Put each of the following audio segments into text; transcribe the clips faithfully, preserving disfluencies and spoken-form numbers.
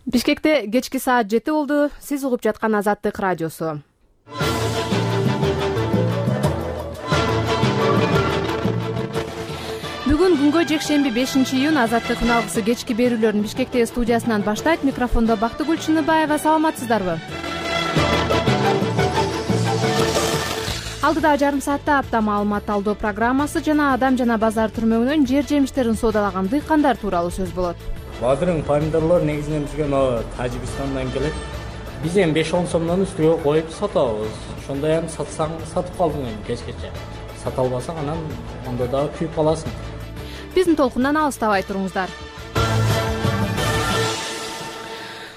Бишкекте кечки саат жети болду. Сиз угуп жаткан Азаттык радиосу. Бүгүн күнгө жекшемби бешинчи июнь Азаттыктын алгысы кечки берүүлөрүн Бишкектеги студиясынан баштайт. Микрофондо Бактыгүл Чыныбаева. Саламатсыздарбы? Алдыда жарым саатта апта маалымат алуу программасы жана адам жана базар түрмөгүнөн жер жемиштерин соодалаган дыйкандар тууралуу сөз болот. Бадырың помидорлор негизинен бизге мына Тажикстандан келет. Биз эми беш он сомдон үстүгө коюп сатабыз. Ошондой эми сатсаң сатып калдың эми кечкече. Сата албасаң анан ондо дагы күйүп каласың. Биздин толкундан алыстабай туруңуздар.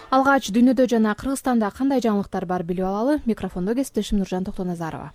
Алгач дүйнөдө жана Кыргызстанда кандай жаңылыктар бар билип алалы. Микрофондо кесиптешим Нуржан Токтоназарова.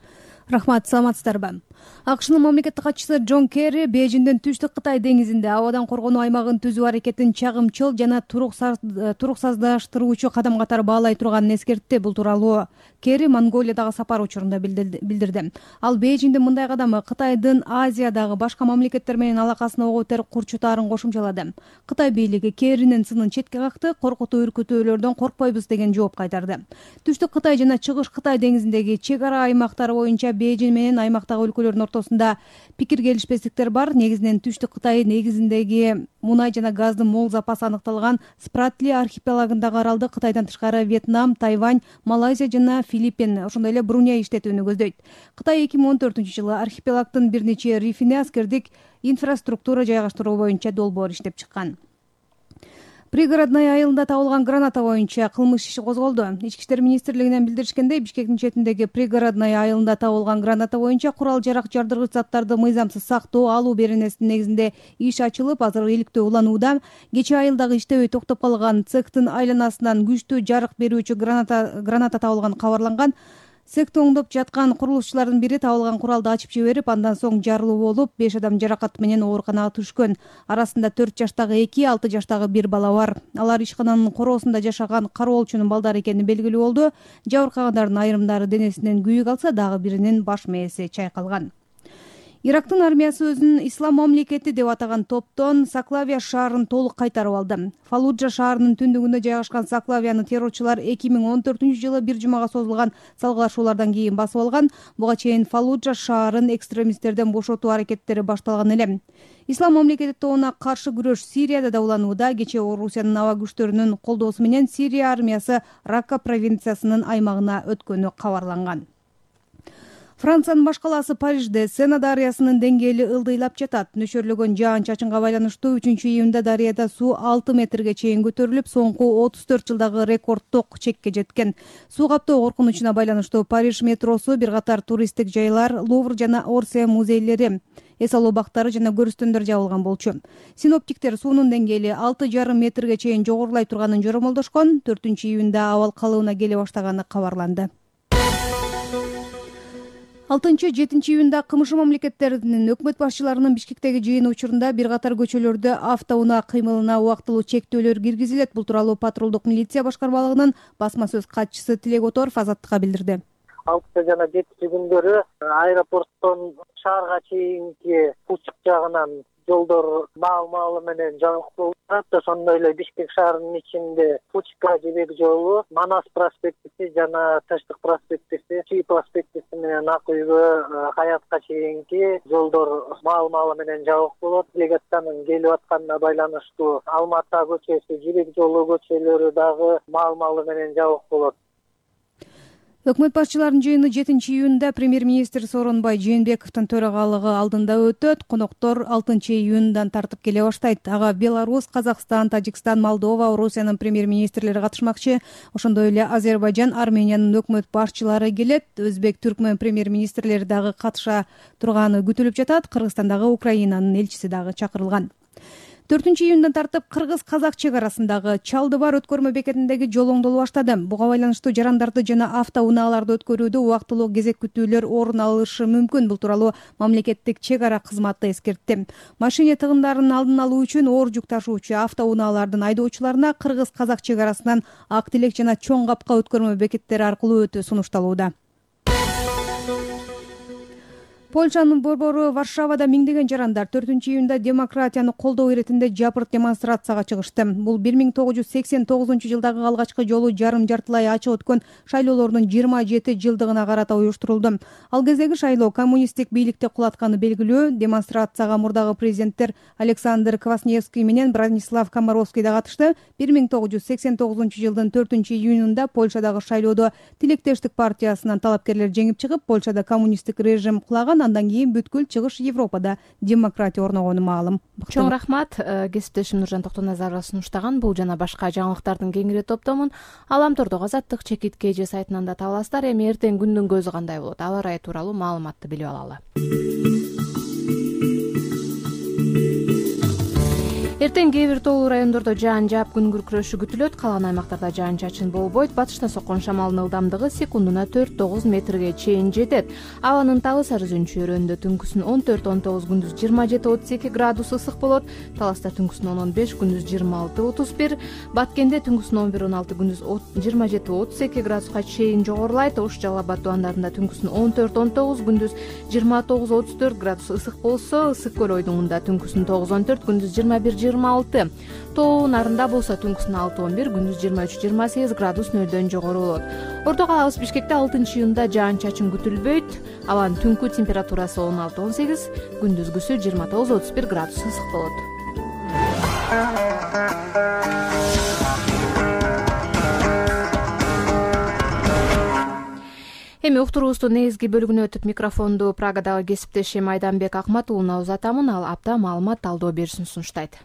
Рахмат, саламатсыздарбы? АКШнын мамлекеттик катчысы Джон Керри Бейжиңдин түштүк Кытай деңизинде абадан коргонуу аймагын түзүү аракетин чагымчыл жана туруксаздаштыруучу кадам катары баалай турганын эскертти. Бул тууралуу Керри Монголиядагы сапар учурунда билдирди. Ал Бейжиңдин мындай кадамы Кытайдын Азиядагы башка мамлекеттер менен алакасын ого бетер курчутаарын кошумчалады. Кытай бийлиги Керринин сынын четке какты, коркутуу үркүтүүлөрдөн коркпойбуз деген жооп кайтарды. Түштүк Кытай жана Чыгыш Кытай деңизиндеги чек ара аймактары боюнча Бейжиң менен аймактагы өлкөлөрдүн ортосунда пикир келишпестиктер бар. Негизинен Түштүк Кытай негизиндеги мунай жана газдын мол запасы аныкталган Спратли архипелагындагы аралды Кытайдан тышкары Вьетнам, Тайвань, Малайзия жана Филиппин, ошондой эле Бруней иштетүүнү көздөйт. Кытай эки миң он төртүнчү жылы архипелагдын бир нече рифине аскердик инфраструктура жайгаштыруу боюнча долбоор иштеп чыккан. Пригородной айылында табылган граната боюнча кылмыш иши козголду. Ички иштер министрлигинен билдиришкендей, Бишкектин четиндеги Пригородной айылында табылган граната боюнча курал-жарак жардыргыч заттарды мыйзамсыз сактоо алуу беренесинин негизинде иш ачылып, азыр иликтөө уланууда. Кечээ айылдагы иштебей токтоп калган цехтин айланасынан күчтүү жарык берүүчү граната граната табылган кабарланган. Цехти оңдоп жаткан курулушчулардын бири табылган куралды ачып жиберип, андан соң жарылуу болуп, беш адам жаракат менен ооруканага түшкөн. Арасында төрт жаштагы эки, алты жаштагы бир бала бар. Алар ишкананын короосунда жашаган кароолчунун балдары экени белгилүү болду. Жабыркагандардын айрымдары денесинен күйүк алса, дагы биринин баш мээси чайкалган. Ирактын армиясы өзүн ислам мамлекети деп атаган топтон Саклавия шаарын толук кайтарып алды. Фаллуджа шаарынын түндүгүндө жайгашкан Саклавияны террорчулар эки миң он төртүнчү жылы бир жумага созулган салгылашуулардан кийин басып алган. Буга чейин Фаллуджа шаарын экстремисттерден бошотуу аракеттери башталган эле. Ислам мамлекети тобуна каршы күрөш Сирияда да уланууда. Кечээ Орусиянын аба күчтөрүнүн колдоосу менен Сирия армиясы Рака провинциясынын аймагына өткөнү кабарланган. Франциянын баш калаасы Парижде Сена дарыясынын деңгээли ылдыйлап жатат. Нөшөрлөгөн жаан-чачынга байланыштуу үчүнчү июнда дарыяда суу алты метрге чейин көтөрүлүп, соңку отуз төрт жылдагы рекордтук чекке жеткен. Суу каптоо коркунучуна байланыштуу Париж метросу, бир катар туристтик жайлар, Лувр жана Орсия музейлери, эс алуу бактары жана көрүстөндөр жабылган болчу. Синоптиктер суунун деңгээли алты жарым метрге чейин жогорулай турганын жоромолдошкон. төртүнчү июнда абал калыбына келе баштаганы кабарланды. алтынчы жетинчи июнда КМШ мамлекеттеринин өкмөт башчыларынын Бишкектеги жыйыны учурунда бир катар көчөлөрдө автоунаа кыймылына убактылуу чектөөлөр киргизилет. Бул тууралуу патрулдук милиция башкармалыгынын басма сөз катчысы Тилек Оторов Азаттыкка билдирди. алтынчы жана жетинчи күндөрү аэропорттон шаарга чейинки Пучук жагынан жолдор маал-маалы менен жабык болуп турат. Ошондой эле Бишкек шаарынын ичинде Пучка жибек жолу, Манас проспектиси жана Таштык проспектиси, Чүй проспектиси менен Ак үйгө, Хаятка чейинки жолдор маал-маалы менен жабык болот. Делегациянын келип атканына байланыштуу Алма ата көчөсү, Жибек жолу көчөлөрү дагы маал-маалы менен жабык болот. Өкмөт башчыларынын жыйыны жетинчи июнда премьер-министр Сооронбай Жээнбековдун төрагалыгы алдында өтөт. Коноктор алтынчы июндан тартып келе баштайт. Ага Беларусь, Казакстан, Тажикстан, Молдова, Орусиянын премьер-министрлери катышмакчы. Ошондой эле Азербайжан, Армениянын өкмөт башчылары келет. Өзбек, Түркмөн премьер-министрлери дагы катыша турганы күтүлүп жатат. Кыргызстандагы Украинанын элчиси дагы чакырылган. төртүнчү июндан тартып кыргыз-казак чек арасындагы Чалды бар өткөрмө бекетиндеги жол оңдоло баштады. Буга байланыштуу жарандарды жана автоунааларды өткөрүүдө убактылуу кезек күтүүлөр орун алышы мүмкүн. Бул тууралуу мамлекеттик чек ара кызматы эскертти. Машине тыгындарын алдын алуу үчүн оор жүк ташуучу автоунаалардын айдоочуларына кыргыз-казак чек арасынан Ак Тилек жана Чоң Капка өткөрмө бекеттери аркылуу өтүү сунушталууда. Польшанын борбору Варшавада миңдеген жарандар төртүнчү июнда демократияны колдоо иретинде жапырт демонстрацияга чыгышты. Бул бир миң тогуз жүз сексен тогузунчу жылдагы алгачкы жолу жарым жартылай ачык өткөн шайлоолордун жыйырма жети жылдыгына карата уюштурулду. Ал кездеги шайлоо коммунисттик бийликти кулатканы белгилүү. Демонстрацияга мурдагы президенттер Александр Квасневский менен Бранислав Комаровский да катышты. бир миң тогуз жүз сексен тогузунчу жылдын төртүнчү июнунда Польшадагы шайлоодо Тилектештик партиясынан талапкерлер жеңип чыгып, Польшада коммунисттик режим кулаган. Андан кийин бүткүл чыгыш Европада демократия орногону маалым. Чоң рахмат. Кесиптешим Нуржан Токтоназарова сунуштаган бул жана башка жаңылыктардын кеңири топтомун Аламтордогу Азаттык чекит кж сайтынан да таба аласыздар. Эми эртең күндүн көзү кандай болот? Аба ырайы тууралуу маалыматты билип алалы. Эртең кээ бир тоолуу райондордо жаан жаап күн күркүрөшү күтүлөт. Калган аймактарда жаан чачын болбойт. Батыштан соккон шамалдын ылдамдыгы секундуна төрт тогуз метрге чейин жетет. Абанын табы сары зөнчү өрөөндө түнкүсүн он төрт он тогуз, күндүз жыйырма жети отуз эки градус ысык болот. Таласта түнкүсүн он он беш, күндүз жыйырма алты отуз бир. Баткенде түнкүсүн он бир он алты, күндүз жыйырма жети отуз эки градуска чейин жогорулайт. Ош Жалал Абад тубандарында түнкүсүн он төрт он тогуз, күндүз жыйырма тогуз отуз төрт градус ысык болсо, Ысык көл ойдуңунда түнкүсүн тогуз он төрт, күндүз жыйырма бир жыйырма алты. Тоо нарында болсо түнкүсүн алты он бир, күндүз жыйырма үч жыйырма сегиз градус нөлдөн жогору болот. Орто калабыз Бишкекте алтынчы июнда жаан чачын күтүлбөйт. Абанын түнкү температурасы он алты он сегиз, күндүзгүсү жыйырма тогуз отуз бир градус ысык болот. Эми уктуруубуздун негизги бөлүгүнө өтүп, микрофонду Прагадагы кесиптешим Айданбек Акматуулуна узатамын. Ал апта маалымат талдоо беришин сунуштайт.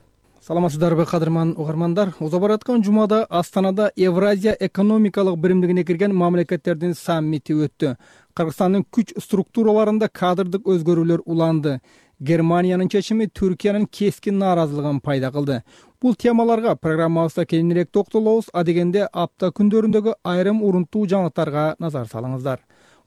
Саламатсыздарбы, кадырман угармандар. Уза бараткан жумада Астанада Евразия экономикалык биримдигине кирген мамлекеттердин саммити өттү. Кыргызстандын күч структураларында кадрдык өзгөрүүлөр уланды. Германиянын чечими Түркиянын кескин нааразылыгын пайда кылды. Бул темаларга программабызда кеңирээк токтолобуз. Адегенде апта күндөрүндөгү айрым урунттуу жаңылыктарга назар салыңыздар.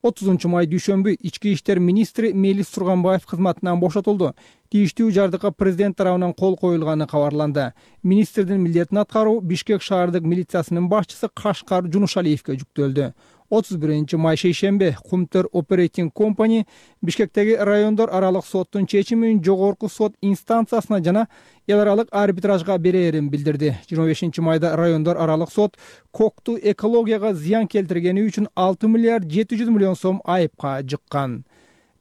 отузунчу май дүйшөмбү ички иштер министри Мелис Турганбаев кызматынан бошотулду. Тийиштүү жардыкка президент тарабынан кол коюлганы кабарланды. Министрдин милдетин аткаруу Бишкек шаардык милициясынын башчысы Кашкар Жунушалиевке жүктөлдү. отуз биринчи май шейшембе Кумтөр Operating Company Бишкектеги райондор аралык соттун чечимин жогорку сот инстанциясына жана эл аралык арбитражга берерин билдирди. жыйырма бешинчи майда райондор аралык сот Кокту экологияга зыян келтиргени үчүн алты миллиард жети жүз миллион сом айыпка жыккан.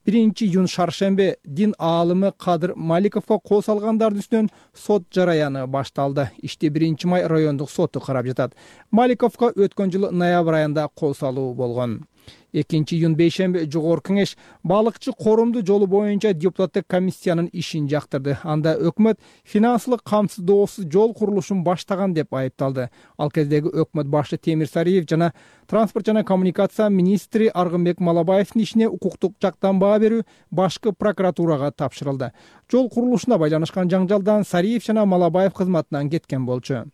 биринчи июнь шаршембе дин аалымы Кадыр Маликовго кол салгандардын үстүнөн сот жараяны башталды. Ишти биринчи май райондук соту карап жатат. Маликовго өткөн жылы ноябрь айында кол салуу болгон. экинчи июнь бейшембе жогорку кеңеш балыкчы корумду жолу боюнча депутаттык комиссиянын ишин жактырды. Анда өкмөт финансылык камсыздоосуз жол курулушун баштаган деп айыпталды. Ал кездеги өкмөт башы Темир Сариев жана транспорт жана коммуникация министри Аргынбек Малабаевдин ишине укуктук жактан баа берүү башкы прокуратурага тапшырылды. Жол курулушуна байланышкан жаңжалдан Сариев жана Малабаев кызматынан кеткен болчу.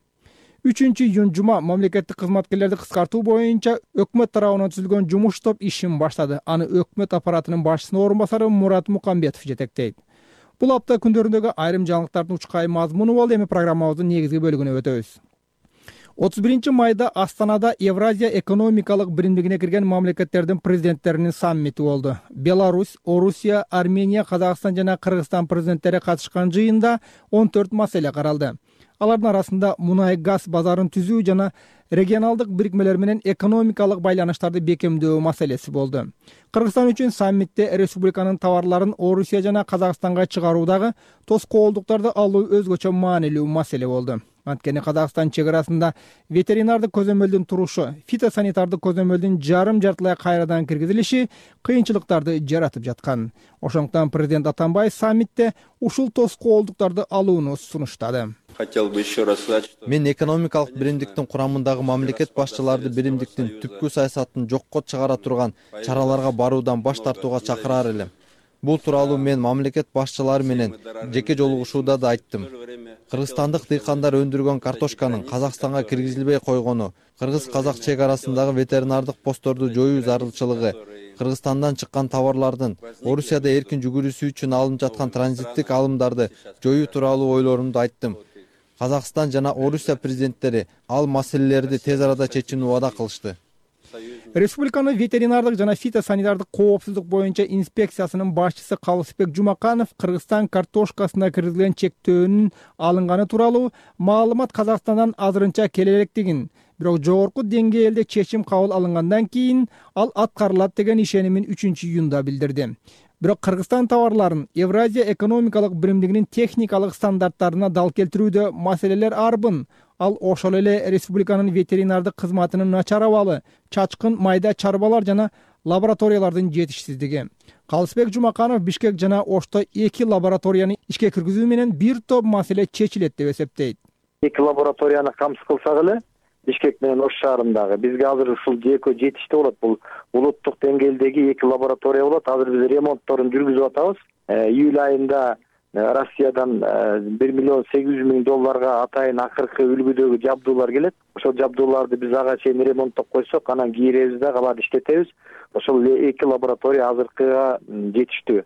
үчүнчү июнь жума мамлекеттик кызматкерлерди кыскартуу боюнча өкмөт тарабынан түзүлгөн жумуш топ ишин баштады. Аны өкмөт аппаратынын башчысынын орун басары Мурат Мукамбетов жетектейт. Бул апта күндөрүндөгү айрым жаңылыктардын учкай мазмуну болду. Эми программабыздын негизги бөлүгүнө өтөбүз. отуз биринчи майда Астанада Евразия экономикалык биримдигине кирген мамлекеттердин президенттеринин саммити болду. Беларусь, Орусия, Армения, Казакстан жана Кыргызстан президенттери катышкан жыйында он төрт маселе каралды. Алардын арасында мунай газ базарын түзүү жана регионалдык бирикмелер менен экономикалык байланыштарды бекемдөө маселеси болду. Кыргызстан үчүн саммитте республиканын товарларын Орусия жана Казакстанга чыгаруудагы тоскоолдуктарды алуу өзгөчө маанилүү маселе болду. Анткени Казакстан чек арасында ветеринардык көзөмөлдүн турушу, фитосанитардык көзөмөлдүн жарым жартылай кайрадан киргизилиши кыйынчылыктарды жаратып жаткан. Ошондуктан президент Атамбаев саммитте ушул тоскоолдуктарды алууну сунуштады. Хотел бы еще раз сказать, что Мен экономикалык биримдиктин курамындагы мамлекет башчыларды биримдиктин түпкү саясатын жокко чыгара турган чараларга баруудан баш тартууга чакырар элем. Бул тууралуу мен мамлекет башчылары менен жеке жолугушууда да айттым. Кыргызстандык дыйкандар өндүргөн картошканын Казакстанга киргизилбей койгону, кыргыз-казак чек арасындагы ветеринардык постторду жоюу зарылчылыгы, Кыргызстандан чыккан товарлардын Орусияда эркин жүгүрүүсү үчүн алынып жаткан транзиттик алымдарды жоюу тууралуу ойлорумду айттым. Казакстан жана Орусия президенттери ал маселелерди тез арада чечүүнү убада кылышты. Республиканын ветеринардык жана фитосанитардык коопсуздук боюнча инспекциясынын башчысы Калысбек Жумаканов Кыргызстан картошкасына киргизилген чектөөнүн алынганы тууралуу маалымат Казакстандан азырынча келе электигин, бирок жогорку деңгээлде чечим кабыл алынгандан кийин ал аткарылат деген ишенимин үчүнчү июнда билдирди. Бирок Кыргызстан товарларын Евразия экономикалык биримдигинин техникалык стандарттарына дал келтирүүдө маселелер арбын. Ал ошол эле республиканын ветеринардык кызматынын начар абалы, чачкын майда чарбалар жана лабораториялардын жетишсиздиги. Калысбек Жумаканов Бишкек жана Ошто эки лабораторияны ишке киргизүү менен бир топ маселе чечилет деп эсептейт. Эки лабораторияны камсыз кылсак эле Бишкек менен Ош шаарындагы бизге азыр ушул экөө жетиштүү болот. Бул улуттук деңгээлдеги эки лаборатория болот. Азыр биз ремонтторун жүргүзүп атабыз. Июль айында Россиядан бир миллион сегиз жүз миң долларга атайын акыркы үлгүдөгү жабдуулар келет. Ошол жабдууларды биз ага чейин ремонттоп койсок, анан кийиребиз да аларды иштетебиз. Ошол эки лаборатория азыркыга жетиштүү.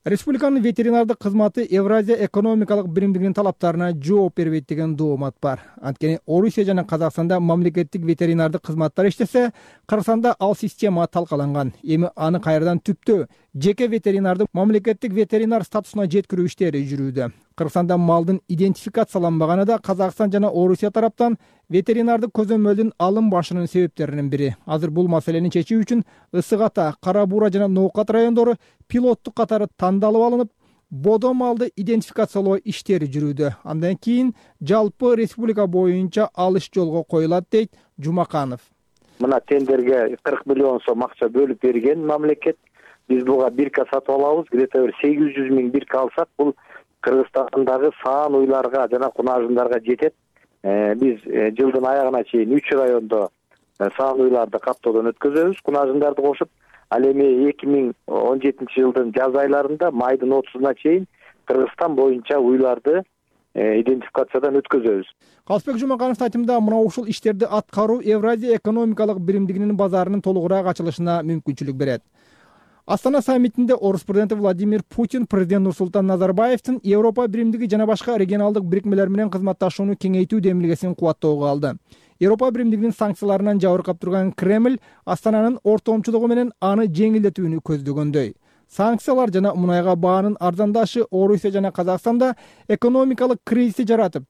Республиканын ветеринардык кызматы Евразия экономикалык биримдигинин талаптарына жооп бербейт деген доомат бар. Анткени Орусия жана Казакстанда мамлекеттик ветеринардык кызматтар иштесе, Кыргызстанда ал система талкаланган. Эми аны кайрадан түптөө жеке ветеринардык мамлекеттик ветеринар статусуна жеткирүү иштери жүрүүдө. Кыргызстанда малдын идентификацияланбаганы да Казакстан жана Орусия тараптан ветеринардык көзөмөлдүн алынбашынын себептеринин бири. Азыр бул маселени чечүү үчүн Ысык Ата, Кара Буура жана Ноокат райондору пилоттук катары тандалып алынып, бодо малды идентификациялоо иштери жүрүүдө. Андан кийин жалпы республика боюнча алыш жолго коюлат, дейт Жумаканов. Мына тендерге кырк миллион сом акча бөлүп берген мамлекет. Биз буга бирка сатып алабыз. Где-то бир сегиз жүз миң бирка алсак, бул Кыргызстандагы саан уйларга жана кунажындарга жетет. Биз жылдын аягына чейин үч райондо саан уйларды каттоодон өткөзөбүз, кунажындарды кошуп. Ал эми эки миң он жетинчи жылдын жаз айларында майдын отузуна чейин Кыргызстан боюнча уйларды идентификациядан өткөзөбүз. Калысбек Жумакановдун айтымында мына ушул иштерди аткаруу Евразия экономикалык биримдигинин базарынын толугураак ачылышына мүмкүнчүлүк берет. Астана саммитинде Орус президенти Владимир Путин президент Нурсултан Назарбаевдин Европа биримдиги жана башка регионалдык бирикмелер менен кызматташууну кеңейтүү демилгесин кубаттоого алды. Европа биримдигинин санкцияларынан жабыркап турган Кремль Астананын ортомчулугу менен аны жеңилдетүүнү көздөгөндөй. Санкциялар жана мунайга баанын арзандашы Орусия жана Казакстанда экономикалык кризисти жаратып,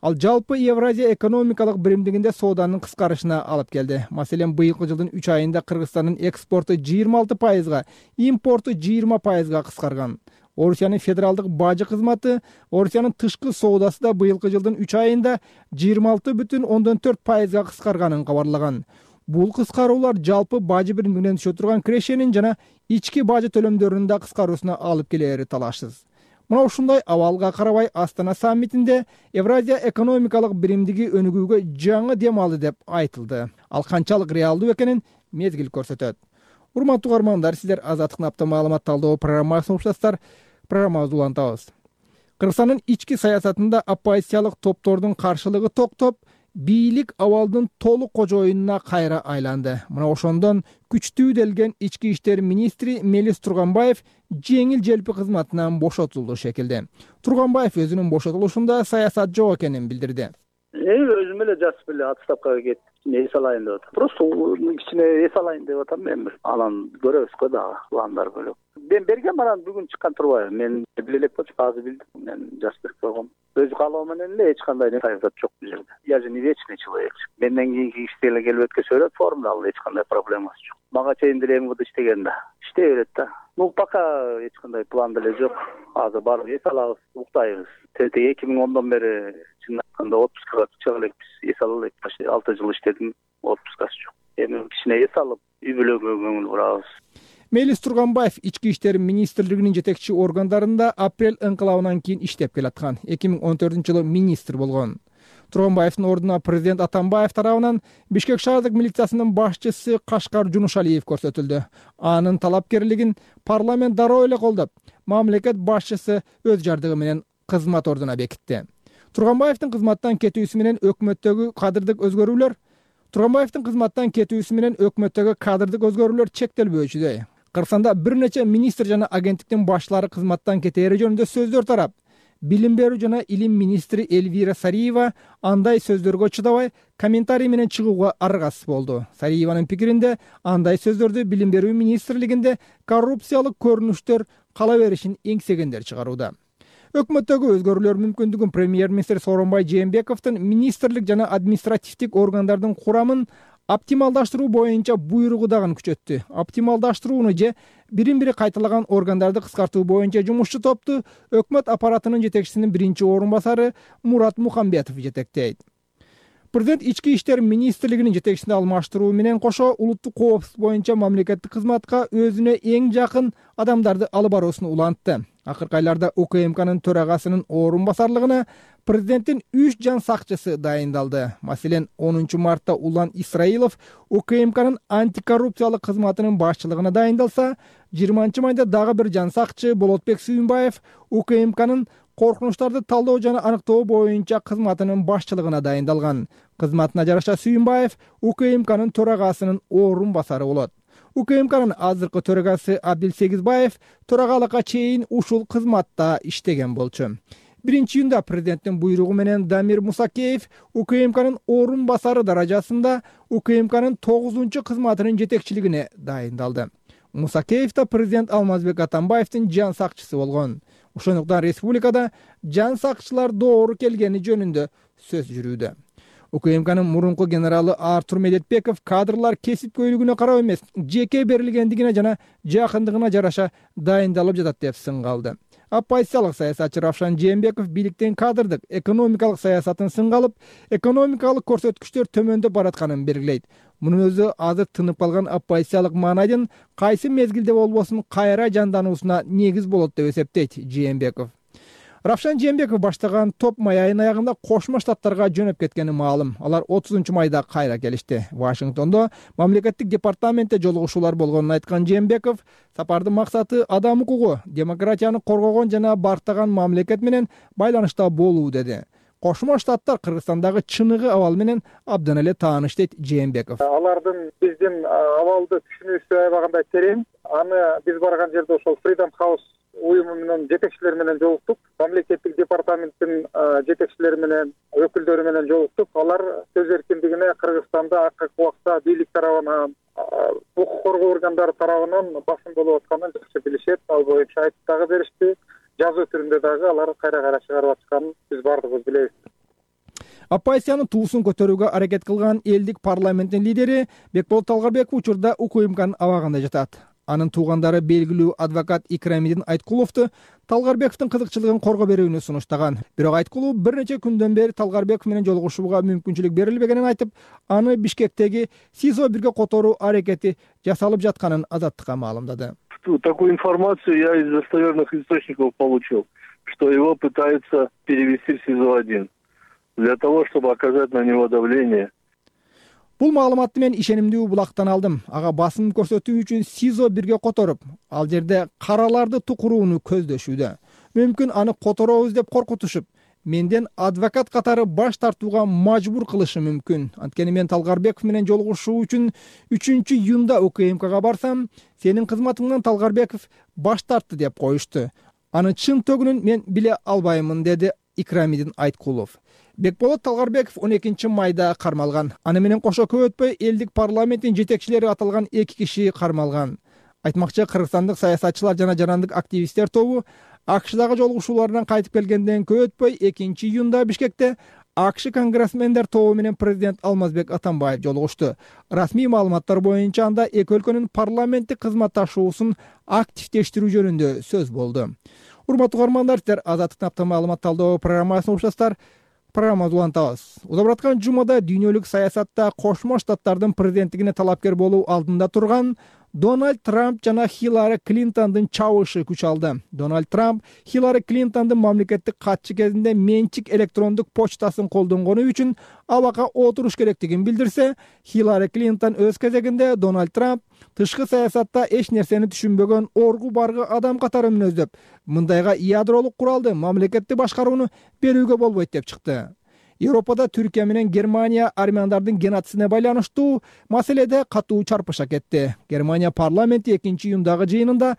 ал жалпы Евразия экономикалык биримдигинде сооданын кыскарышына алып келди. Маселен, быйылкы жылдын үч айында Кыргызстандын экспорту жыйырма алты пайызга, импорту жыйырма пайызга кыскарган. Орусиянын федералдык бажы кызматы Орусиянын тышкы соодасы да быйылкы жылдын үч айында жыйырма алты бүтүн ондон төрт пайызга кыскарганын кабарлаган. Бул кыскаруулар жалпы бажы биримдигинен түшө турган кирешенин жана ички бажы төлөмдөрүнүн да кыскаруусуна алып келери талашсыз. Мына ушундай абалга карабай Астана саммитинде Евразия экономикалык биримдиги өнүгүүгө жаңы дем алды деп айтылды. Ал канчалык реалдуу экенин мезгил көрсөтөт. Урматтуу угармандар, сиздер Азаттыктын апта маалымат талдоо программасын угушасыздар. Программабызды улантабыз. Кыргызстандын ички саясатында оппозициялык топтордун каршылыгы токтоп, бийлик абалдын толук кожоюнуна кайра айланды. Мына ошондон күчтүү делген ички иштер министри Мелис Турганбаев жеңил желпи кызматынан бошотулду шекилде. Турганбаев өзүнүн бошотулушунда саясат жок экенин билдирди. Өзүм эле жазып эле отставкага кетип, эс алайын деп атам. Просто кичине эс алайын деп атам мен. Анан көрөбүзгө дагы пландар бөлөк. Мен бергем, анан бүгүн чыккан турбайбы. Мен биле элек болчу, азыр билдим. Мен жазып берип койгом. Өз каалоо менен эле эч кандай саясат жок бул жерде. Я же не вечный человек. Менден кийинки кишилер келип өткөзө берет формда, ал эч кандай проблемасы жок. Мага чейин деле эми иштеген да. Иштей берет да. Ну, пока эч кандай план деле жок. Азыр барып эс алабыз, уктайбыз. эки миң ондон бери чын айтканда отпускага чыга элекпиз. Эс ала элек. алты жыл иштедим, отпускасы жок. Эми кичине эс алып, үй бүлөгө көңүл бурабыз. Мелис Турганбаев ички иштер министрлигинин жетекчи органдарында апрель ыңкылабынан кийин иштеп келаткан. эки миң он төртүнчү жылы министр болгон. Турганбаевдин ордуна президент Атамбаев тарабынан Бишкек шаардык милициясынын башчысы Кашкар Жунушалиев көрсөтүлдү. Анын талапкерлигин парламент дароо эле колдоп, мамлекет башчысы өз жардыгы менен кызмат ордуна бекитти. Турганбаевдин кызматтан кетүүсү менен өкмөттөгү кадрлык өзгөрүүлөр Турганбаевдин кызматтан кетүүсү менен өкмөттөгү кадрлык өзгөрүүлөр чектелбөөчүдөй. Кыргызстанда бир нече министр жана агенттиктин башчылары кызматтан кетери жөнүндө сөздөр тарап, билим берүү жана илим министри Эльвира Сариева андай сөздөргө чыдабай комментарий менен чыгууга аргасыз болду. Сариеванын пикиринде андай сөздөрдү билим берүү министрлигинде коррупциялык көрүнүштөр кала беришин эңсегендер чыгарууда. Өкмөттөгү өзгөрүүлөр мүмкүндүгүн премьер-министр Сооронбай Жээнбековдун министрлик жана административдик органдардын курамын оптималдаштыруу боюнча буйругу дагы күчөттү. Оптималдаштырууну же бирин-бири кайталаган органдарды кыскартуу боюнча жумушчу топту өкмөт аппаратынын жетекчисинин биринчи орун басары Мурат Мухамбетов жетектейт. Президент ички иштер министрлигинин жетекчисин алмаштыруу менен кошо улуттук коопсуздук боюнча мамлекеттик кызматка өзүнө эң жакын адамдарды алып баруусун улантты. Акыркы айларда УКМКнын төрагасынын орун басарлыгына президенттин үч жан сакчысы дайындалды. Маселен, онунчу мартта Улан Исраилов УКМКнын антикоррупциялык кызматынын башчылыгына дайындалса, жыйырманчы майда дагы бир жан сакчы Болотбек Сүйүнбаев УКМКнын коркунучтарды талдоо жана аныктоо боюнча кызматынын башчылыгына дайындалган. Кызматына жараша Сүйүнбаев УКМКнын төрагасынын орун басары болот. УКМКнын азыркы төрагасы Абдил Сегизбаев төрагалыкка чейин ушул кызматта иштеген болчу. Биринчи июнда президенттин буйругу менен Дамир Мусакеев УКМКнын орун басары даражасында УКМКнын тогузунчу кызматынын жетекчилигине дайындалды. Мусакеев да президент Алмазбек Атамбаевдин жан сакчысы болгон. Ошондуктан республикада жан сакчылар доору келгени жөнүндө сөз жүрүүдө. УКМКнын мурунку генералы Артур Медетбеков кадрлар кесипкөйлүгүнө карап эмес, жеке берилгендигине жана жакындыгына жараша дайындалып жатат деп сынга алды. Оппозициялык саясатчы Равшан Жээнбеков бийликтин кадрдык экономикалык саясатын сынга алып, экономикалык көрсөткүчтөр төмөндөп баратканын белгилейт. Мунун өзү азыр тынып калган оппозициялык маанайдын кайсы мезгилде болбосун кайра жандануусуна негиз болот деп эсептейт Жээнбеков. Равшан Жээнбеков баштаган топ май айынын аягында Кошмо Штаттарга жөнөп кеткени маалым. Алар отузунчу майда кайра келишти. Вашингтондо мамлекеттик департаментте жолугушуулар болгонун айткан Жээнбеков, сапардын максаты адам укугу, демократияны коргогон жана бартаган мамлекет менен байланышта болуу деди. Кошмо Штаттар Кыргызстандагы чыныгы абал менен абдан эле тааныш дейт Жээнбеков. Алардын биздин абалды түшүнүүсү аябагандай терең. Аны биз барган жерде ошол Freedom House уюму менен жетекчилери менен жолуктук. Мамлекеттик департаменттин жетекчилери менен, өкүлдөрү менен жолуктук. Алар сөз эркиндигине Кыргызстанда акыркы убакта бийлик тарабынан, укук коргоо органдары тарабынан басым болуп атканын жакшы билишет. Ал боюнча айтып дагы беришти. Жазуу түрүндө дагы алар кайра-кайра чыгарып атканын биз баардыгыбыз билебиз. Оппозициянын туусун көтөрүүгө аракет кылган элдик парламенттин лидери Бекболот Талгарбеков учурда УКМКнын абагында жатат. Анын туугандары белгилүү адвокат Икрамидин Айткуловду Талгарбековдун кызыкчылыгын корго берүүнү сунуштаган. Бирок Айткулов бир нече күндөн бери Талгарбеков менен жолугушууга мүмкүнчүлүк берилбегенин айтып, аны Бишкектеги СИЗО бирге которуу аракети жасалып жатканын Азаттыкка маалымдады. Такую информацию я из достоверных источников получил, что его пытаются перевести в СИЗО один для того, чтобы оказать на него давление. Бул маалыматты мен ишенимдүү булактан алдым. Ага басым көрсөтүү үчүн СИЗО бирге которуп, ал жерде караларды тукурууну көздөшүүдө. Мүмкүн аны которобуз деп коркутушуп, менден адвокат катары баш тартууга мажбур кылышы мүмкүн. Анткени мен Талгарбеков менен жолугушуу үчүн үчүнчү июнда УКМКга барсам, сенин кызматыңдан Талгарбеков баш тартты деп коюшту. Аны чын төгүнүн мен биле албаймын, деди Икрамидин Айткулов. Бекболот Талгарбеков он экинчи майда кармалган. Аны менен кошо көп өтпөй элдик парламенттин жетекчилери аталган эки киши кармалган. Айтмакчы, кыргызстандык саясатчылар жана жарандык активисттер тобу АКШдагы жолугушууларынан кайтып келгенден көп өтпөй экинчи июнда Бишкекте АКШ конгрессмендер тобу менен президент Алмазбек Атамбаев жолугушту. Расмий маалыматтар боюнча анда эки өлкөнүн парламенттик кызматташуусун активдештирүү жөнүндө сөз болду. Урматтуу угармандар, сиздер Азаттыктын апта маалымат талдоо программасын угушасыздар. Программабызды улантабыз. Узап аткан жумада дүйнөлүк саясатта Кошмо Штаттардын президенттигине талапкер болуу алдында турган Дональд Трамп жана Хиллари Клинтондун чабышы күч алды. Дональд Трамп Хиллари Клинтондун мамлекеттик катчы кезинде менчик электрондук почтасын колдонгону үчүн абакка отуруш керектигин билдирсе, Хиллари Клинтон өз кезегинде Дональд Трамп тышкы саясатта эч нерсени түшүнбөгөн оргу баргы адам катары мүнөздөп, мындайга ядролук куралды мамлекетти башкарууну берүүгө болбойт деп чыкты. Европада Түркия менен Германия армяндардын геноцидине байланыштуу маселеде катуу чарпыша кетти. Германия парламенти экинчи июндагы жыйынында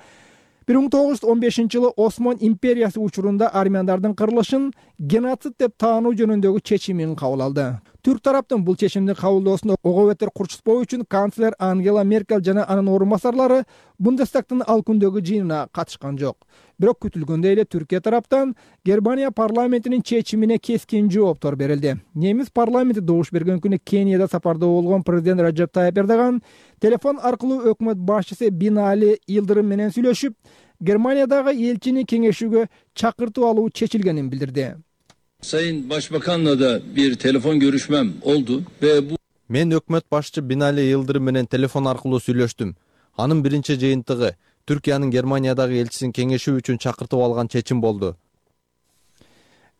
бир миң тогуз жүз он бешинчи жылы Осман империясы учурунда армяндардын кырылышын геноцид деп таануу жөнүндөгү чечимин кабыл алды. Түрк тараптын бул чечимди кабылдоосуна ого бетер курчутпоо үчүн канцлер Ангела Меркель жана анын орун басарлары Бундестагтын ал күндөгү жыйынына катышкан жок. Бирок күтүлгөндөй эле Түркия тараптан Германия парламентинин чечимине кескин жооптор берилди. Немис парламенти добуш берген күнү Кенияда сапарда болгон президент Раджеп Тайип Эрдоган телефон аркылуу өкмөт башчысы Бинали Йылдырым менен сүйлөшүп, Германиядагы элчини кеңешүүгө чакыртып алуу чечилгенин билдирди. Sayın Başbakan'la da bir telefon görüşmem oldu ve bu Мен өкмөт башчы Бинали Йылдырым менен телефон аркылуу сүйлөштүм. Анын биринчи жыйынтыгы Түркиянын Германиядагы элчисин кеңешүү үчүн чакыртып алган чечим болду.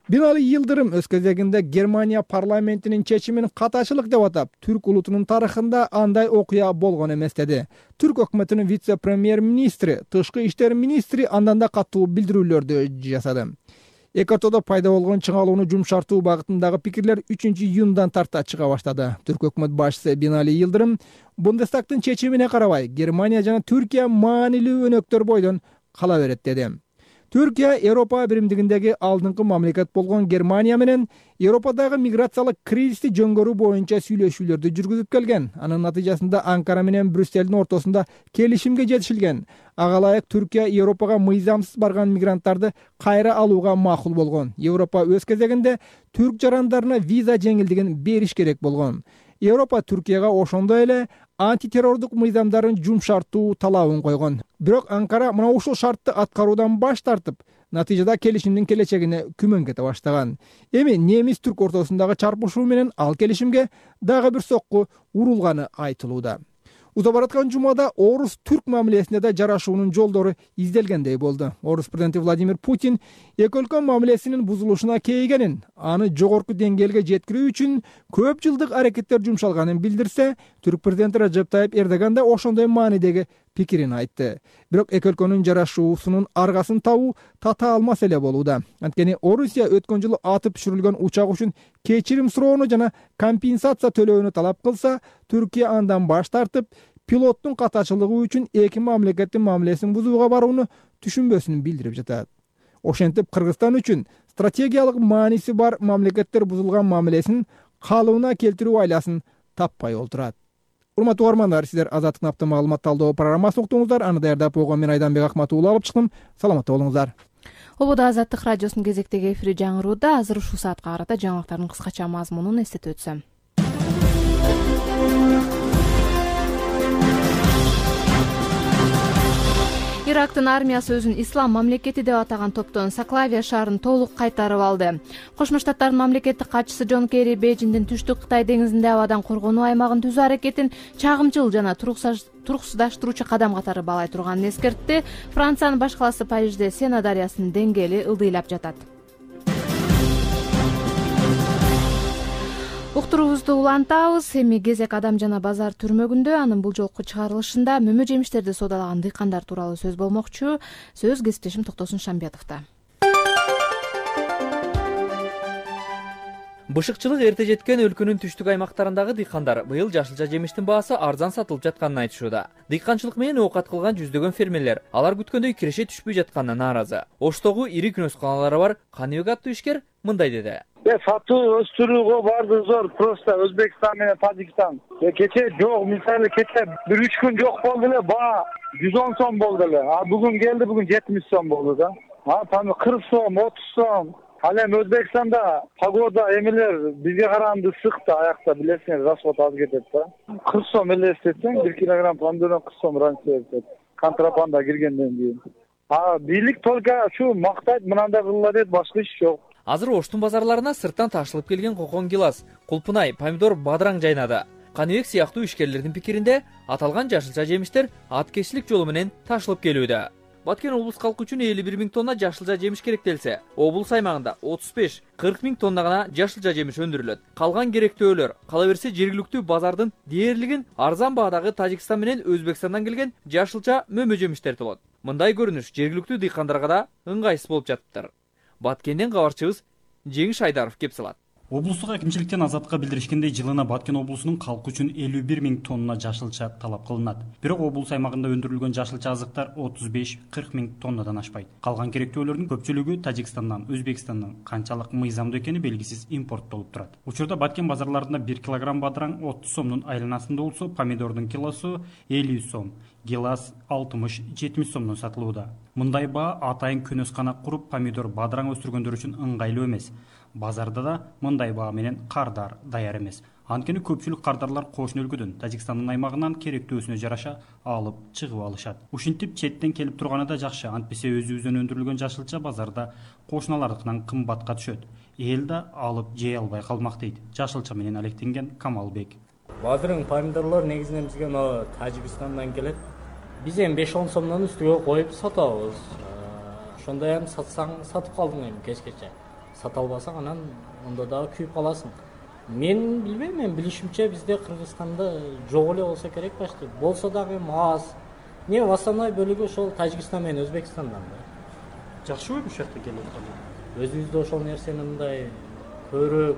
Бинали Йылдырым өз кезегинде Германия парламентинин чечимин катачылык деп атап, түрк улутунун тарыхында андай окуя болгон эмес деди. Түрк өкмөтүнүн вице-премьер-министри, тышкы иштер министри андан да катуу билдирүүлөрдү жасады. Эки ортодо пайда болгон чыңалууну жумшартуу багытындагы пикирлер үчүнчү июндан тарта чыга баштады. Түрк өкмөт башчысы Бинали Йылдырым Бундестагтын чечимине карабай Германия жана Түркия маанилүү өнөктөр бойдон кала берет деди. Түркия Европа биримдигиндеги алдыңкы мамлекет болгон Германия менен Европадагы миграциялык кризисти жөнгөрүү боюнча сүйлөшүүлөрдү жүргүзүп келген. Анын натыйжасында Анкара менен Брюсселдин ортосунда келишимге жетишилген. Ага ылайык Түркия Европага мыйзамсыз барган мигранттарды кайра алууга макул болгон. Европа өз кезегинде түрк жарандарына виза жеңилдигин бериш керек болгон. Европа Түркияга ошондой эле антитеррордук мыйзамдарын жумшартуу талабын койгон. Бирок Анкара мына ушул шартты аткаруудан баш тартып, натыйжада келишимдин келечегине күмөн кете баштаган. Эми немис-түрк ортосундагы чарпышуу менен ал келишимге дагы бир сокку урулганы айтылууда. Уза бараткан жумада орус-түрк мамилесинде да жарашуунун жолдору изделгендей болду. Орус президенти Владимир Путин эки өлкө мамилесинин бузулушуна кейигенин, аны жогорку деңгээлге жеткирүү үчүн көп жылдык аракеттер жумшалганын билдирсе, түрк президенти Раджеп Тайип Эрдоган да ошондой маанидеги пикирин айтты. Бирок эки өлкөнүн жарашуусунун аргасын табуу тата алмас эле болууда. Анткени Орусия өткөн жылы атып түшүрүлгөн учак үчүн кечирим суроону жана компенсация төлөөнү талап кылса, Түркия андан баш тартып, пилоттун катачылыгы үчүн эки мамлекеттин мамилесин бузууга барууну түшүнбөсүн билдирип жатат. Ошентип Кыргызстан үчүн стратегиялык мааниси бар мамлекеттер бузулган мамилесин калыбына келтирүү айласын таппай олтурат. Урматтуу угармандар, сиздер Азаттык апта маалымат талдоо программасын уктуңуздар. Аны даярдап койгон мен Айданбек Акматуулу алып чыктым. Саламатта болуңуздар. Ободо Азаттык радиосунун кезектеги эфири жаңырууда. Азыр ушул саатка карата жаңылыктардын кыскача мазмунун эстетип өтсөм. Ирактын армиясы өзүн ислам мамлекети деп атаган топтон Саклавия шаарын толук кайтарып алды. Кошмо Штаттардын мамлекеттик катчысы Джон Керри Бейжиңдин түштүк Кытай деңизинде абадан коргонуу аймагын түзүү аракетин чагымчыл жана туруксуздаштыруучу кадам катары баалай турганын эскертти. Франциянын баш калаасы Парижде Сена дарыясынын деңгээли ылдыйлап жатат. Уктуруубузду улантабыз. Эми Кезек Адам жана базар түрмөгүндө анын бул жолку чыгарылышында мөмө жемиштерди соодалаган дыйкандар тууралуу сөз болмокчу. Сөз кесиптешим Токтосун Шамбетовдо. Бышыкчылык эрте жеткен өлкөнүн түштүк аймактарындагы дыйкандар быйыл жашылча жемиштин баасы арзан сатылып жатканын айтышууда. Дыйканчылык менен оокат кылган жүздөгөн фермерлер алар күткөндөй киреше түшпөй жатканына нааразы. Оштогу ири күнөсканалары бар Каныбек аттуу ишкер мындай деди. Сатуу өстүрүүгө барды зор, просто Өзбекстан менен Тажикстан. Кече жок, мисалы кече бир үч күн жок болду эле, баа жүз он сом болду эле. А бүгүн келди, бүгүн жетимиш сом болду да. А там кырк сом, отуз сом. Ал эми Өзбекстанда погода эмелер бизге караганда ысык да, аякта билесиңер, расход аз кетет да. кырк сом эле эстетсең, бир килограмм помидордон кырк сом ранча кетет. Контрабанда киргенден кийин. А бийлик только ушу мактайт, мынандай кылыла дейт, башка иш жок. Азыр Оштун базарларына сырттан ташылып келген кокон гилас, кулпунай, помидор бадыраң жайнады. Каныбек сыяктуу ишкерлердин пикиринде аталган жашылча жемиштер аткечилик жолу менен ташылып келүүдө. Баткен облус калкы үчүн элүү бир миң тонна жашылча жемиш керектелсе, облус аймагында отуз беш кырк миң тонна гана жашылча жемиш өндүрүлөт. Калган керектөөлөр кала берсе жергиликтүү базардын дээрлигин арзан баадагы Тажикстан менен Өзбекстандан келген жашылча мөмө жемиштер толот. Мындай көрүнүш жергиликтүү дыйкандарга да ыңгайсыз болуп жатыптыр. Баткенден кабарчыбыз Жеңиш Айдаров кеп салат. Облустук акимчиликтен Азаттыкка билдиришкендей, жылына Баткен облусунун калкы үчүн элүү бир миң тонна жашылча талап кылынат. Бирок облус аймагында өндүрүлгөн жашылча азыктар отуз беш кырк миң тоннадан ашпайт. Калган керектөөлөрдүн көпчүлүгү Тажикстандан, Өзбекстандан канчалык мыйзамдуу экени белгисиз импорттолуп турат. Учурда Баткен базарларында бир килограмм бадыраң отуз сомдун айланасында болсо, помидордун килосу элүү сом, гилас алтымыш жетимиш сомдон сатылууда. Мындай баа атайын көнөскана куруп помидор бадыраң өстүргөндөр үчүн ыңгайлуу эмес. Базарда да мындай баа менен кардар даяр эмес. Анткени көпчүлүк кардарлар кошуна өлкөдөн, Тажикстандын аймагынан керектөөсүнө жараша алып чыгып алышат. Ушинтип четтен келип турганы да жакшы, антпесе өзүбүздөн өндүрүлгөн жашылча базарда кошуналардыкынан кымбатка түшөт. Эл да алып жей албай калмак дейт жашылча менен алектенген Камалбек. Бадырың, помидорлор негизинен бизге мына Тажикстандан келет. Биз эми беш он сомдон үстүгө коюп сатабыз. Ошондой эми сатсаң сатып калдың эми кечкече. Сата албасаң анан ондо дагы күйүп каласың. Мен билбейм, мен билишимче бизде Кыргызстанда жок эле болсо керек башты. Болсо дагы эми аз. Не основной бөлүгү ошол Тажикстан менен Өзбекстандан да. Жакшыбы ушул жакта келип аткан? Өзүбүздө ошол нерсени мындай көрүп,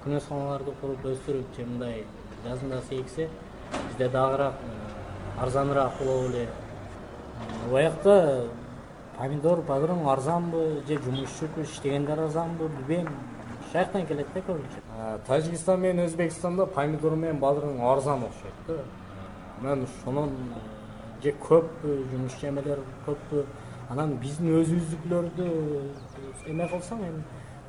күнөсканаларды куруп өстүрүп, же мындай жазында сейксе, бизде дагыраак арзаныраак болот эле. Оякта помидор, бадырың арзанбы, же жумушчу иштегендер арзанбы, билбейм. Шаяктан келет да көбүнчө. Тажикстан менен Өзбекстанда помидор менен бадырың арзан окшойт да. Мен ошонун же көппү, жумушчу эмелер көппү. Анан биздин өзүбүздүкүлөрдү эме кылсаң, эми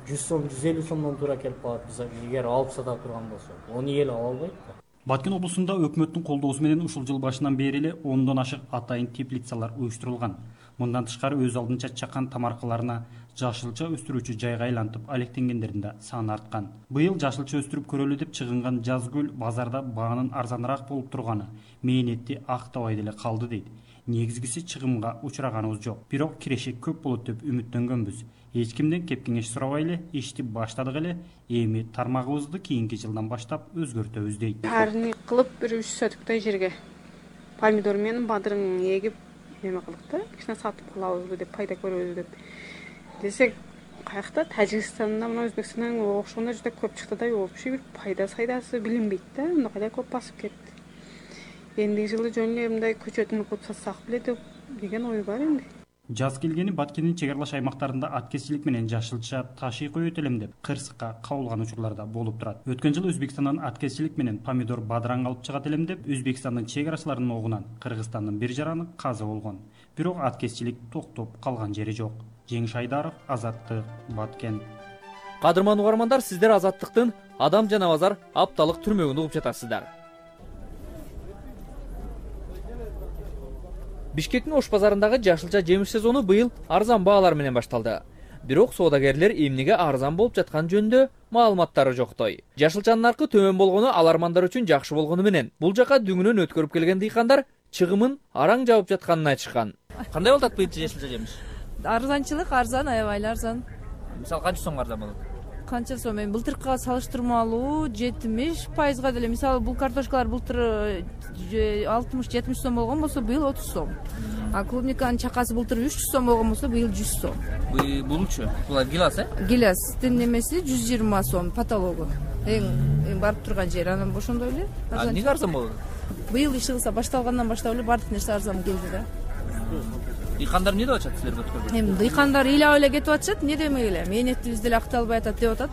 жүз сом, жүз элүү сомдон туура келип калат. Биз эгер алып сата турган болсок, аны эл ала албайт да. Баткен облусунда өкмөттүн колдоосу менен ушул жыл башынан бери эле ондон ашык атайын теплицалар уюштурулган. Мындан тышкары өз алдынча чакан тамаркаларына жашылча өстүрүүчү жайга айлантып алектенгендердин да саны арткан. Быйыл жашылча өстүрүп көрөлү деп чыгынган Жазгүл базарда баанын арзаныраак болуп турганы мээнетти актабай деле калды дейт. Негизгиси чыгымга учраганыбыз жок. Бирок кирешек көп болот деп үмүттөнгөнбүз. Эч кимден кеп кеңеш сурабай эле ишти баштадык эле. Эми тармагыбызды кийинки жылдан баштап өзгөртөбүз дейт. Парник кылып бир үч сотуктай жерге помидор менен бадырың эгип эме кылдык да, кичине сатып калабызбы деп, пайда көрөбүз деп. Десек, каякта Тажикстанда мына Өзбекстандан окшогондо жүдө көп чыкты да, вообще бир пайда сайдасы билинбейт да, мында кайда көп басып кетти. Эндиги жылы жөн эле мындай көчөтүн кылып сатсак беле деп деген ой бар энди. Жаз келгени Баткендин чек аралаш аймактарында аткезчилик менен жашылча ташый коет элем деп кырсыкка кабылган учурларда болуп турат. Өткөн жылы Өзбекстандан аткезчилик менен помидор бадыраң алып чыгат элем деп Өзбекстандын чек арачыларынын огунан Кыргызстандын бир жараны каза болгон. Бирок аткезчилик токтоп калган жери жок. Жеңиш Айдаров, Азаттык, Баткен. Кадырман угармандар, сиздер Азаттыктын Адам жана базар апталык түрмөгүн угуп жатасыздар. Бишкектин Ош базарындагы жашылча жемиш сезону быйыл арзан баалар менен башталды. Бирок соодагерлер эмнеге арзан болуп жаткан жөнүндө маалыматтары жоктой. Жашылчанын наркы төмөн болгону алармандар үчүн жакшы болгону менен бул жака дүңүнөн өткөрүп келген дыйкандар чыгымын араң жабып жатканын айтышкан. Кандай болот быйыл жашылча жемиш? Арзанчылык арзан, аябай эле арзан. Мисалы канча сомго арзан болот? Канча сом? Эми былтыркыга салыштырмалуу жетимиш пайызга деле. Мисалы бул картошкалар былтыр алтымыш жетимиш сом болгон болсо, быйыл отуз сом. А клубниканын чакасы былтыр үч жүз сом болгон болсо, быйыл жүз сом. Булчу? Бул гилас, э? Гиластын немеси жүз жыйырма сом потологу. Эң барып турган жер, анан ошондой эле. Эмнеге арзан болду? Быйыл иш кылса башталгандан баштап эле баардык нерсе арзан келди да. Дыйкандар эмне деп атышат силерге өткөргөн? Эми дыйкандар ыйлап эле кетип атышат, эмне демек эле, мээнетибиз деле акталбай атат деп атат.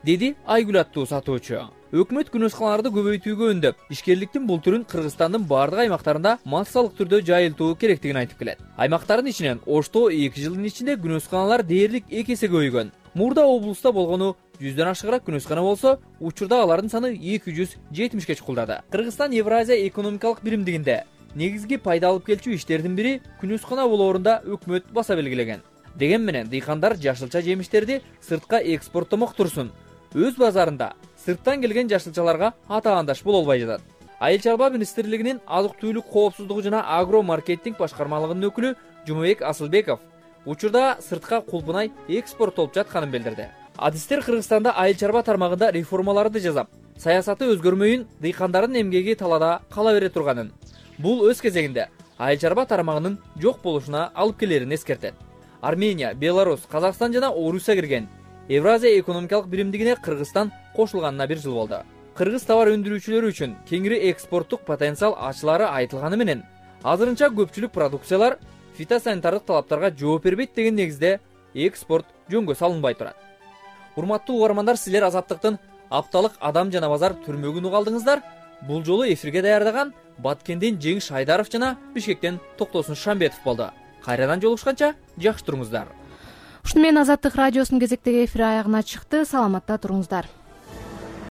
Деди Айгүл аттуу сатуучу. Өкмөт күнөсканаларды көбөйтүүгө үндөп, ишкерликтин бул түрүн Кыргызстандын бардык аймактарында массалык түрдө жайылтуу керектигин айтып келет. Аймактардын ичинен Ошто эки жылдын ичинде күнөсканалар дээрлик эки эсе көбөйгөн. Мурда облуста болгону жүздөн ашыгыраак күнөскана болсо, учурда алардын саны эки жүз жетимишке чукулдады. Кыргызстан Евразия экономикалык биримдигинде негизги пайда алып келчү иштердин бири күнөскана болоорунда өкмөт баса белгилеген. Деген менен дыйкандар жашылча жемиштерди сыртка экспорттомок турсун. Өз базарында сырттан келген жашылчаларга атаандаш боло албай жатат. Айыл чарба министрлигинин азык-түлүк коопсуздугу жана агро маркетинг башкармалыгынын өкүлү Жумабек Асылбеков учурда сыртка кулпунай экспорттолуп жатканын билдирди. Адистер Кыргызстанда айыл чарба тармагында реформаларды жасап, саясаты өзгөрмөйүн, дыйкандардын эмгеги талаада кала бере турганын, бул өз кезегинде айыл чарба тармагынын жок болушуна алып келерин эскертет. Армения, Беларусь, Казакстан жана Орусия кирген Евразия экономикалык биримдигине Кыргызстан кошулганына бир жыл болду. Кыргыз товар өндүрүүчүлөрү үчүн кеңири экспорттук потенциал ачылары айтылганы менен, азырынча көпчүлүк продукциялар фитосанитардык талаптарга жооп бербейт деген негизде экспорт жөнгө салынбай турат. Урматтуу угармандар, силер Азаттыктын апталык адам жана базар түрмөгүн угалдыңыздар. Бул жолу эфирге даярдаган Баткенден Жеңиш Айдаров жана Бишкектен Токтосун Шамбетов болду. Кайрадан жолугушканча жакшы туруңуздар. Ушуну менен Азаттык радиосунун кезектеги эфир аягына чыкты. Саламатта туруңуздар.